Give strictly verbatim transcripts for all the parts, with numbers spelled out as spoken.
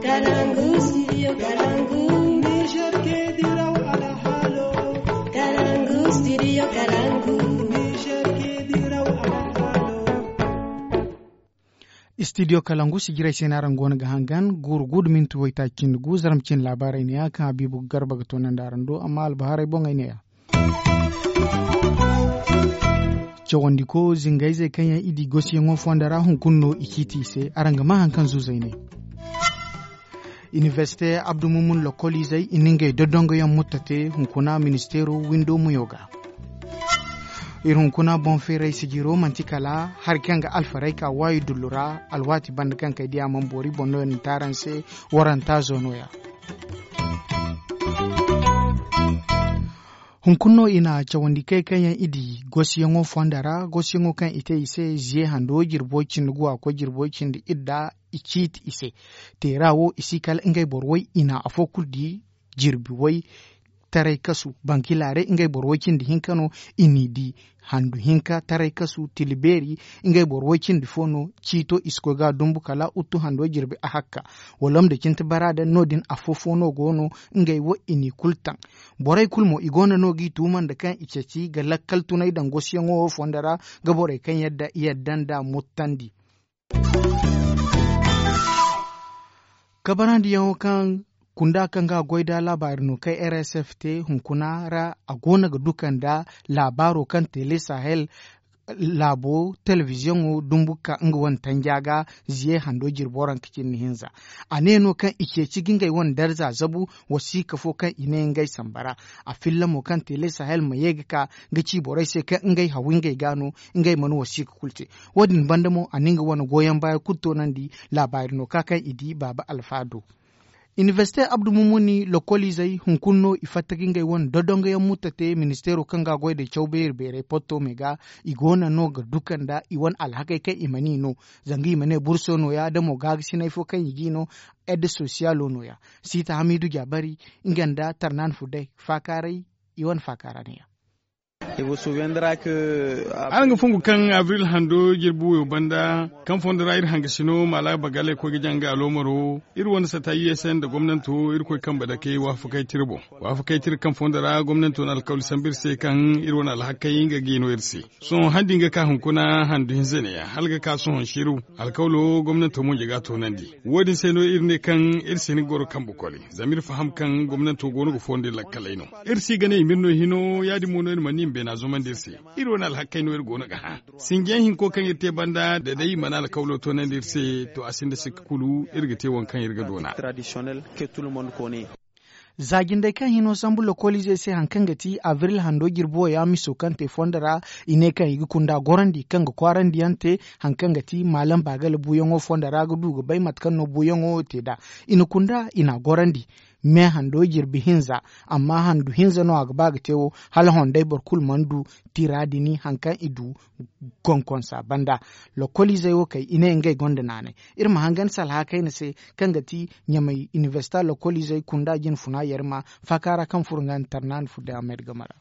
Kalangu, studio Kalangu. Niger ke diraw alhalo. Kalangu, studio Kalangu. Niger ke diraw alhalo. Studio Kalangu, sijiray se no araŋ goono ga hangan, guuru gu da minti waytaaci cindi gu, zarma cindi laabaarey neeya kaŋ Habiibu Garba ga toonandi araŋ do, amma albahaarey boŋey neeya. Cawandiko zingayzey kaŋ yaŋ i di gosiyaŋo fonda ra hunkuna no i ciiti i se, araŋ ga maa haŋ kaŋ zuuzey ne. Iniversite Abdu Mumun lokoliizey i na ngey dodongoyaŋ mutta te hunkuna ministeero windo muyo ga. Iri hunkuna boŋ feeray sijiro manti kala hari kaŋ ga alfarayka waayi dullu ra, alwaati banda kaŋ kay diya mana boori boŋ no i na te araŋ se waranta zoono ya. Hunkuna no i na cawandi kay kaŋ yaŋ i di gosiyaŋo fonda ra, gosiyaŋo kaŋ i te i se ziye hando jirbo cindi gu a koy jirbo cindi idda i ciiti i se. Teera wo i si kala ngey boro way i na afo kulu di jirbi way taray kasu. Bankilaare ngey boro way cindi hinka no i n'i di handu hinka taray kasu tilibeeri. Ngey boro way cindi fo no ciito i si koy ga dumbu kala uttu hando jirbi a hakka. Walom da cinti bara da no- din afo fo no go no ngey wo i n'i kulu taŋ. Borey kulu mo i go no no g'i tuuma nda kaŋ i ceeci ga lakkal tunay daŋ gosiyaŋo wo fonda ra ga borey kaŋ yadda i yadda nd'a muttandi. Kabarandiyaŋo kaŋ kunda kaŋ ga goy da laabaari no kay r s f te hunkuna ra a go no ga duka nda laabaaro kaŋ tele sahel laabo telebiziyoŋo dumbu ka nga wane tanja ga ziye hando jirbo ranka cindi hinza. A ne no kaŋ i ceeci ga ngey wane darza zabu wasiika fo kaŋ i ne ngey samba ra. A filla mo kaŋ tele sahel ma ye ga ka ga ci borey se kaŋ ngey haw ngey ga no ngey mana wasiika kulu te. Wo- din banda mo a na nga wane goyyaŋ baya kulu toonandi laabaari no ka kaŋ i di baaba alfa do. Iniversite abdu mumuni lokoliizey hunkuna no i fatta ga ngey wane dodongoyaŋ mutta te ministeero kaŋ ga a goy day caw beeri beeray potto me ga. I go no no ga duka nda i wane alhakey kaŋ i mana i no. Zanga i ma ne burso no- ya da mo gaagasinay fo kaŋ i g'i no. Edde sosiyalo no- ya. Siita hamiidu jaabari nga nda tarnaani fudday faakaaray i wane faakaara ne- ya. Araŋ ga fungu kaŋ abril hando jirbi wayo banda kaŋ fondo ra iri hangasino maala bagaley koy ga jaŋ ga aloomaro. Iri wane sata u s n nda gomnanto iri koy kambe dake waafakey tira boŋ. Waafakey tira kaŋ fondo ra gomnanto na alkawli sambu iri se kaŋ iri wane alhakey nga ga i no iri se. Sohõ han din ga ka hunkuna handu hinza neeya hala ga ka sohõ siru. Alkawlo gomnanto mo nja ga a toonandi. Wo- din se no iri ne kaŋ iri si hin ga goro kambe koli zama iri faham kaŋ gomnanto go no ga fondo iri lakkaley no. Iri si ga ne i ma iri no hino ya- din mo no iri mana i ma beena zumandi iri se. Iri wane alhakey no iri go no ga hã. Sinjiyaŋ hinko kaŋ iri te banda da day i mana alkawlo toonandi iri se to a sinda sikka kulu iri ga te waŋ kaŋ iri ga doona. Za jindey kaŋ hino sambu lokoliizey se hari kaŋ ga ti abril hando jirbi wo ya miso kaŋ te fondo ra. I ne kaŋ i ga kunda gorandi kaŋ ga kwaarandiyaŋ te hari kaŋ ga ti maalam baagala buuyaŋo fondo ra ga du ga bay mate kaŋ no buuyaŋo wo te nd'a. I na kunda i n'a gorandi. Me hando jirbi hinza. Amma handu hinza no a ga ba ga te wo hala hondey boro kulu mana du tira din hari kaŋ i du. Konkonsa banda lokoliizey wo kay i ne ngey gonda naanay. Iri ma hangan salha kayna se kaŋ ga ti ɲamay iniversita lokoliizey kunda jine funa yarima faaka ra kaŋ furo nga nda tarnaani fudda amed game ra.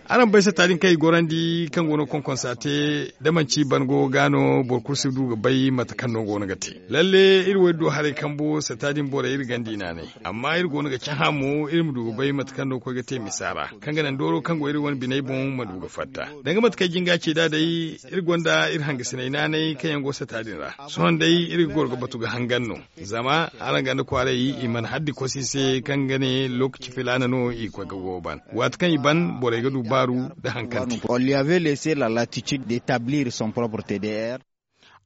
Araŋ bay sata din kaŋ i gorandi kaŋ go no konkonsa te da manci ban go ga no boro kulu si du ga bay mate kaŋ no go no ga te. Lalle iri wo iri du haray kambo sata din borey iri ganda i naanay. Amma iri go no ga cahã mo iri ma du ga bay mate kaŋ no koy ga te misa ra kaŋ ga naŋ dooro kaŋ go iri wane biney boŋ ma du ga fatta. Danga mate kaŋ jinga ce nd'a day iri gonda iri hangasiney naanay kaŋ yaŋ go sata din ra. Sohõ day iri ga goro ga batu ga hangan no. Zama araŋ ganda kwaaray i mana haddi kosi se kaŋ ga ne lookaci filaana no i koy ga go ban waati kaŋ i ban borey ga du baaru nda hari kaŋ te.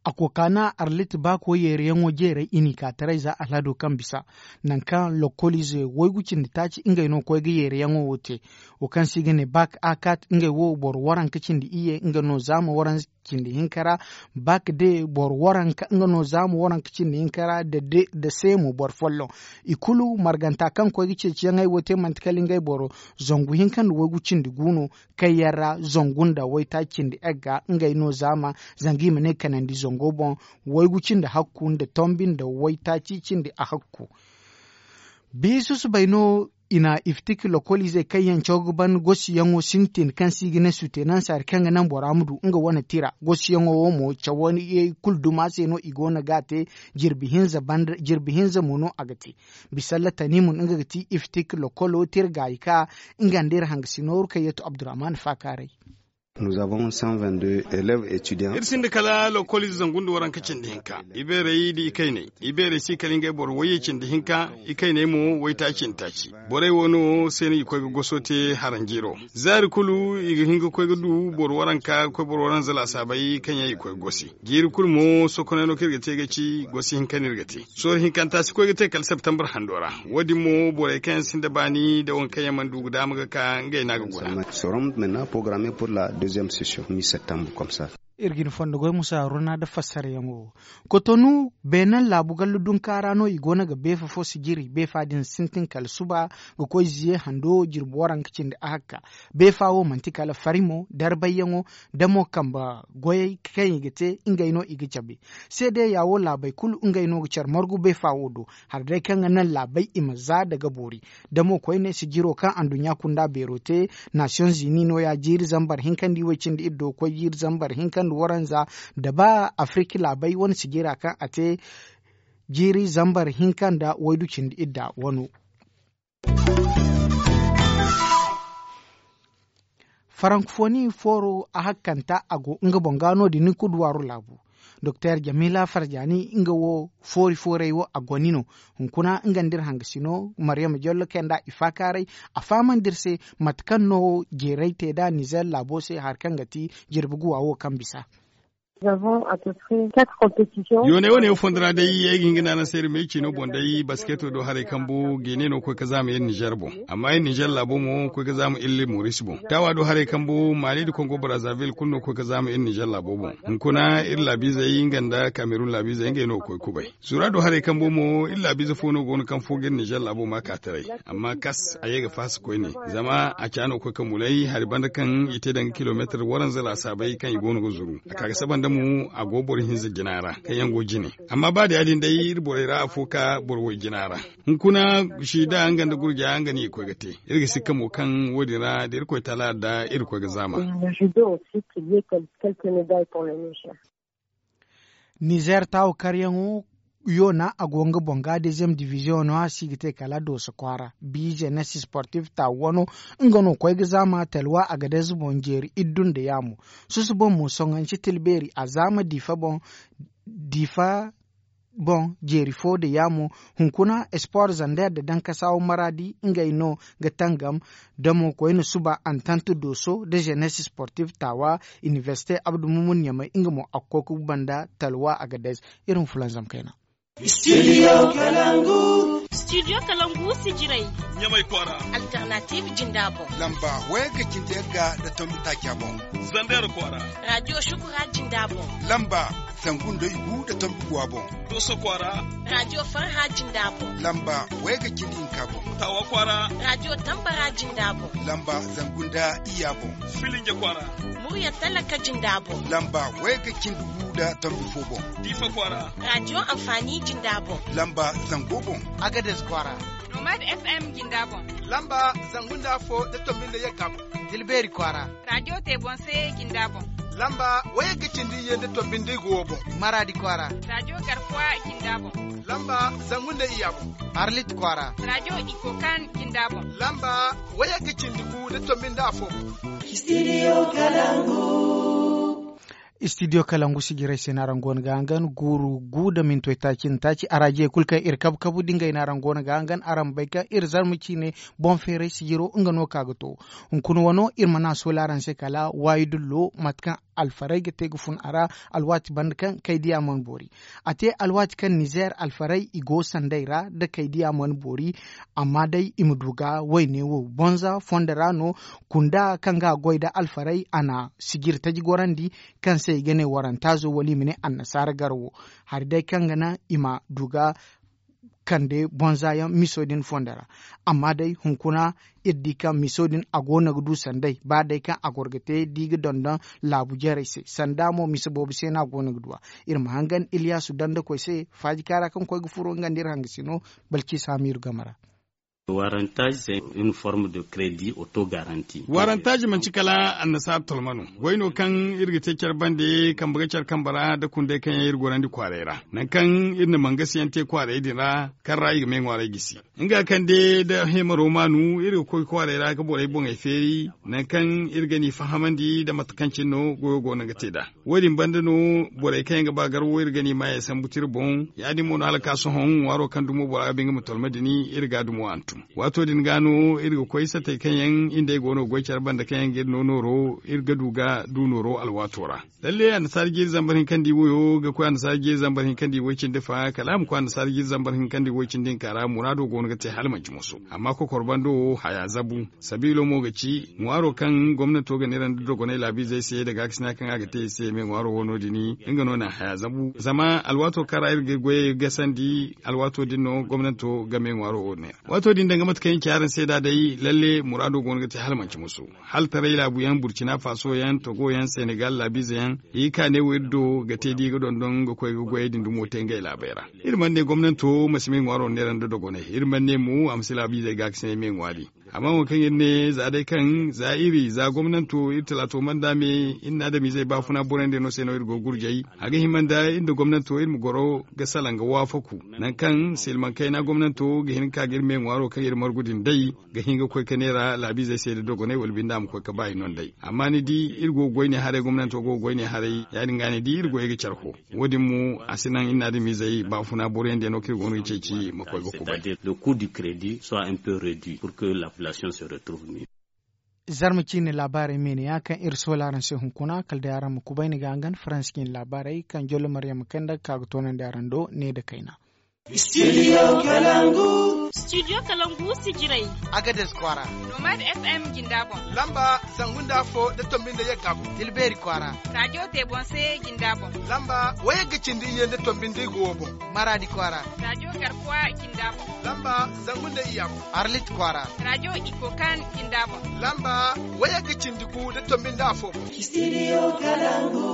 A kokaana arlit baako yeeriyaŋo jeeray i n'i ka taray za alhado kaŋ bisa nangu kaŋ lokoliize waygu cindi taaci ngey no koy ga yeeriyaŋo wo te. Wo kaŋ se i ga ne baak a kaat ngey wo boro waranka cindi iyye nga no zaama waranka cindi hinka ra. Baak de boro waranka nga no zaama waranka cindi hinka ra nda seemo boro folloŋ. I kulu marganta kaŋ koy ga ceeciyaŋey wo te manti kala ngey boro zangu hinka nda waygu cindi gu no. Kaŋ yaŋ ra zangu nda waytaaci cindi egga ngey no zaama zanga i ma ne kanandi zango boŋ. Waygu cindi hakku nda tombi nda waytaaci cindi a hakku. Bisu subay no. I na iftik lokoliizey kaŋ yaŋ caw ga ban gosiyaŋo sintin kaŋ se i ga ne sutenansa hari kaŋ ga naŋ bora ma du nga wane tira gosiyaŋo wo mo cawo ye kulu duma se no i go no ga a te. Jirbi hinza mo no a ga te. Bisalla tanimun nga ga ti iftik lokolo tira gaayi ka nga nda iri hangasino rukayyetu abdurrahman faakaaray. Iri sinda kala lokoliize zangu nda waranka cindi hinka. Ibeerey nda ikayney ibeerey si kala ngey boro wayye cindi hinka. Ikayney mo waytaaci nda taaci. Borey wo no se no i ga koy ga goso te haranjiiro. Zaari kulu i ga hin ga koy ga du boro waranka ga koy boro waranza laasaabey kaŋ yaŋ i ga koy ga gosi. Jiiri kulu mo sokonay no kaŋ iri ga te ga ci gosi hinka no iri ga te. Sorro hinkanta si koy ga te kala septembre hando ra. Wo- din mo borey kaŋ yaŋ sinda baani nda waŋ kaŋ yaŋ mana du ga daama ga ka ngey no a ga guna. Sorom mena porogarame pur la deuxième session mi septembre komsa. Iri ga ni fondo goy musa haruna nda fassarayaŋo. Kotonu beenaŋ laabu gallu dunka ra no i go no ga beefa fo sijiri beefa din sintin kala suba ga koy ziye hando jirbi waranka cindi ahakka. Beefa wo manti kala farimo darbayyaŋo da mo kambe goyey kaŋ i ga te ngey no i ga cabe. Seedeya wo laabey kulu ngey no ga care margu beefa wo do. Hari day kaŋ ga naŋ laabey i ma za daga boori. Da mo koyne sijiro kaŋ anduɲɲa kunda beero te nasiyoŋ zini nooya jiiri zambar hinka nda iway cindi iddo ga koy jiiri zambar hinka nda waranza da ba afirki laabey wane sijira kaŋ a te jiiri zambar hinka nda waydu cindi idda wano. Farankofoni fooro a hakkanta a go nga boŋ ga no- din ni kuduwaaru laabu. Doktor jamila farjani nga wo foori fooray wo a goni no. Hunkuna nga nda iri hangasino maryama jollo kay nd'a i faakaaray. A fahamandi iri se mate kaŋ no jeeray te nd'a nizer laabo se hari kaŋ ga ti jirbi guwa wo kaŋ bisa. Yooney wane yaŋ fondo ra day ay ga hin ga ne araŋ se iri ma ay ciino boŋ day basketo do haray kambu ga i ne no ga koy ga zaama iri nizer boŋ. Amma iri nizer laabo mo ga koy ga zaama iri moris boŋ taawa do haray kambu maali nda kongo brazaville kulu no ga koy ga zaama iri nizer laabo boŋ. Hunkuna iri laabiizey nga nda kamerun laabiizey ngey no ga koy kubay. Zura do haray kambu mo iri laabiize fo no go no kaŋ fo ga iri nizer laabo ma ka taray. Amma kas a ye ga faasa koyne zama a ca no ga koy ga mulay hari banda kaŋ i te danga kilomeetar waranza laasaabey kaŋ i go no ga zuru a ka ga saba nda mo a go boro hinza jina ra kaŋ yaŋ go jine. Amma ba da ya- din day iri borey ra afo ka boro way jina ra. Hunkuna sida nga nda gurja nga no i ga koy ga te. Iri ga sikka mo kaŋ wo- din ra da irkoy taala da iri ga koy ga zaama. Nizer taawo karyaŋo yoona a go nga boŋ ga dezyem diviziyoŋo no a si ga te kala dooso kwaara. Biize nesis sportif taawo wano nga no koy ga zaama talwa a ga day ze boŋ jeeri iddu nda yaamo. Susu boŋ mo soŋanci tilbeeri a zaama diifa boŋ diifa boŋ jeeri fo nda yaamo. Hunkuna espoor zander nda dankasaawo maraadi ngey no ga tangam. Da mo koyne suba antant dooso nda zenes sportif taawa iniversite abdu mumun ɲamay nga mo a ga koy ga guba nda talwa a ga day ze. Iri ma fulanzam kayna. Studio kalangu sijirey ɲamay kwaara. Alternative jinda boŋ lamba wayga cindi yagga nda tombi taaca boŋ. Zander kwaara radio shukura jinda boŋ lamba zangu nda igu nda tombi guwa boŋ. Dooso kwaara radio farha jinda boŋ lamba wayga cindi hinka boŋ. Taawa kwaara radio tambara jinda boŋ lamba zangu nda iyya boŋ. Filinje kwaara murya talaka jinda boŋ lamba wayga cindi gu nda tombi fo boŋ. Diifa kwaara radio anfaani jinda boŋ lamba zango boŋ. Agades kwaara nomad fm jinda boŋ lamba zangu nda afo nda tombi nda yagga boŋ. Tilbeeri kwaara radio te boŋ se jinda boŋ lamba wayga cindi iyye nda tombi nda igu wo boŋ. Maraadi kwaara radio garkuwa jinda boŋ lamba zangu nda iyya boŋ. Arlit kwaara radio ikokan jinda boŋ lamba wayga cindi gu nda tombi nda afo boŋ. Studio kalangu sijirey se no araŋ go no ga hangan guuru gu nda mintoy taaci nda taaci araajiyey kulu kaŋ iri kabu kabu da ngey no araŋ go no ga hangan araŋ ma bay kaŋ iri zarma ciine boŋ feeray sijiro nga no ka ga to. Hunkuna wano iri mana a sooli araŋ se kala waayi dullo mate kaŋ alfarey ga te ga fun a ra. Alwaati banda kaŋ kay diya mana boori a te alwaati kaŋ nizer alfarey i go sanday ra da kay diya mana boori. Amma day i ma du ga wayne wo bonza fondo ra no. Kunda kaŋ ga a goy nda alfarey a na sijiri taji gorandi kaŋ se i ga ne warantaazo wala i ma ne annasaara garo wo. Hari day kaŋ ga naŋ i ma du ga kande bonza yaŋ miso din fondo ra. Amma day hunkuna iri di kaŋ miso din a go no ga du sanday ba day kaŋ a goro ga te da i ga dondon laabu jarey se sanda mo mise boobo se no a go no ga du a. Iri ma hangan iliyasu dandakoy se faaji kaara kaŋ koy ga furo nga nda iri hangasino balciisa hamiiru game ra. Warantaaz se une forme de crédit auto garanti. Warantaaz manci kala annasaara tolma no. Goy no kaŋ iri ga te care bande kambe ga care kambe ra nda kundey kaŋ yaŋ iri gorandi kwaaray ra, nangu kaŋ iri na mangasiyaŋ te kwaaray din ra, kaŋ ra i ga me ŋwaaray gisi. Nga kaŋ de nda heemaro maanu iri ga koy kwaaray ra ga borey boŋey feeri, nangu kaŋ iri ga ni fahamandi nda mate kaŋ cine no goyo go no ga te nd'a. Wo- din banda no, borey kaŋ yaŋ ga ba gar wo iri ga ni maayey sambu tira boŋ. Ya- din mo no hala ka sohõ ŋwaaro kaŋ dumo bora ga ba nga ma tolma din, iri ga dumo hantum. Waato din ga no iri ga koy satey kaŋ yaŋ iri nd'ey go no ga goy care banda kaŋ yaŋ ga iri no nooro, iri ga du ga du nooro alwaato ra. Lalle annasaara jiiri zambar hinka nda i woyo ga koy annasaara jiiri zambar hinka nda i woy cindi fa kala a ma koy annasaara jiiri zambar hinka nda i woy cindi hinka ra muraado go no ga te hala manci moso. Amma kokor bando wo haya zabu. Sabiilo mo ga ci ŋwaaro kaŋ gomnanto ga neera nda dogonay laabiizey se nda gaakasina kaŋ a ga te i se me ŋwaaro wo no- din. Nga no na haya zabu zama alwaato kaŋ ra iri ga goyey gasandi alwaato din no gomnanto ga me ŋwaaro wo neera. Waato din danga mate kaŋ i ci araŋ se nd'a day lalle muraado go no ga te hala manci musu. Hala taray laabu yaŋ burcina faso yaŋ togo yaŋ senegal laabiize yaŋ i ga ka ne wo iri do ga te da i ga dondon ga koy ga goyey din dumo te ngey laabey ra. Iri mana ne gomnanto ma si me ŋwaaro neera nda dogonay iri mana ne mo a ma si laabiizey gaakasinay me ŋwaari. Amma wo kaŋ iri ne za day kaŋ za iri za gomnanto iri talaato mana nda me iri na adamiizey baafuna borey nda no se no iri go ga gurjay. A ga hima nda iri nda gomnanto iri ma goro ga salaŋ ga waafaku nangu kaŋ silmaŋ kayna gomnanto ga hin ga ka ga iri me ŋwaaro kaŋ iri margu din day ga hin ga koy ga neera laabiizey se nda dogonay wala binde a ma koy ga ba i no nd'ey. Amma ni di iri go ga goy ne haray gomnanto go ga goy ne haray ya- din ga ni di iri goyey ga care fo. Wo- din mo a si naŋ iri na adamiizey baafuna boroyaŋ day no kaŋ iri go no ga ceeci ma koy ga kubay. Le coup du crédit soit un peu réduit pour que la population se retrouve mieux. Zarma ciine laabaarey me ne ya kaŋ iri soola araŋ se hunkuna kala day araŋ ma kubay ni ga hangan faransi ciine laabaarey kaŋ jollo maryam kay nda ga ka ga toonandi araŋ do ne nda kayna. Studio kalangu. Studio kalangu sijirey. Agades kwaara. Nomad fm jinda boŋ. Lamba zangu nda afo nda tombi nda yagga boŋ. Tilbeeri kwaara. Raajo te boŋ se jinda boŋ. Lamba wayagga cindi iyye nda tombi nda igo wo boŋ. Maraadi kwaara. Raajo garkuwa jinda boŋ. Lamba zangu nda iyya boŋ. Arlit kwaara. Raajo ikokan jinda boŋ. Lamba wayagga cindi gu nda tombi nda afo boŋ. Studio kalangu.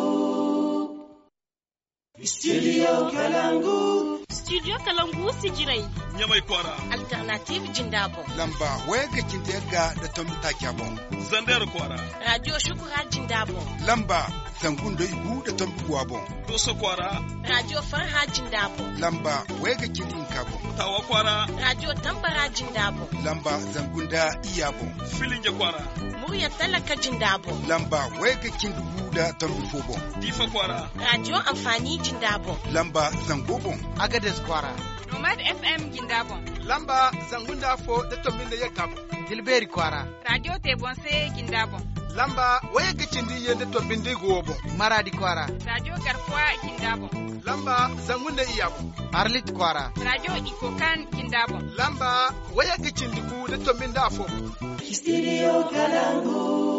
Studio kalangu. Studio kalangu sijirey. Ɲamay kwaara. Alternative jinda boŋ. Lamba wayagga cindi yagga nda tombi taaca boŋ. Zander kwaara. Raajo shukura jinda boŋ. Lamba zangu nda igu nda tombi guwa boŋ. Doso kwaara. Raajo farha jinda boŋ. Lamba wayagga cindi hinka boŋ. Tawa kwaara. Raajo tambara jinda boŋ. Lamba zangu nda iyya boŋ. Filinje kwaara. Murya talaka jinda boŋ. Lamba wayagga cindi gu nda tombi fo boŋ. Diifa kwaara. Raajo anfaani jinda boŋ. Lamba zango boŋ. Agades kwaara. Nomad fm jinda boŋ. Lamba zangu nda afo nda tombi nda yagga boŋ. Tilbeeri kwaara. Raajo te boŋ se jinda boŋ. Lamba wayagga cindi iyye nda tombi nda igo wo boŋ. Maraadi kwaara. Raajo garkuwa jinda boŋ. Lamba zangu nda iyya boŋ. Arlit kwaara. Raajo ikokan jinda boŋ. Lamba wayagga cindi gu nda tombi nda afo boŋ. Studio kalangu.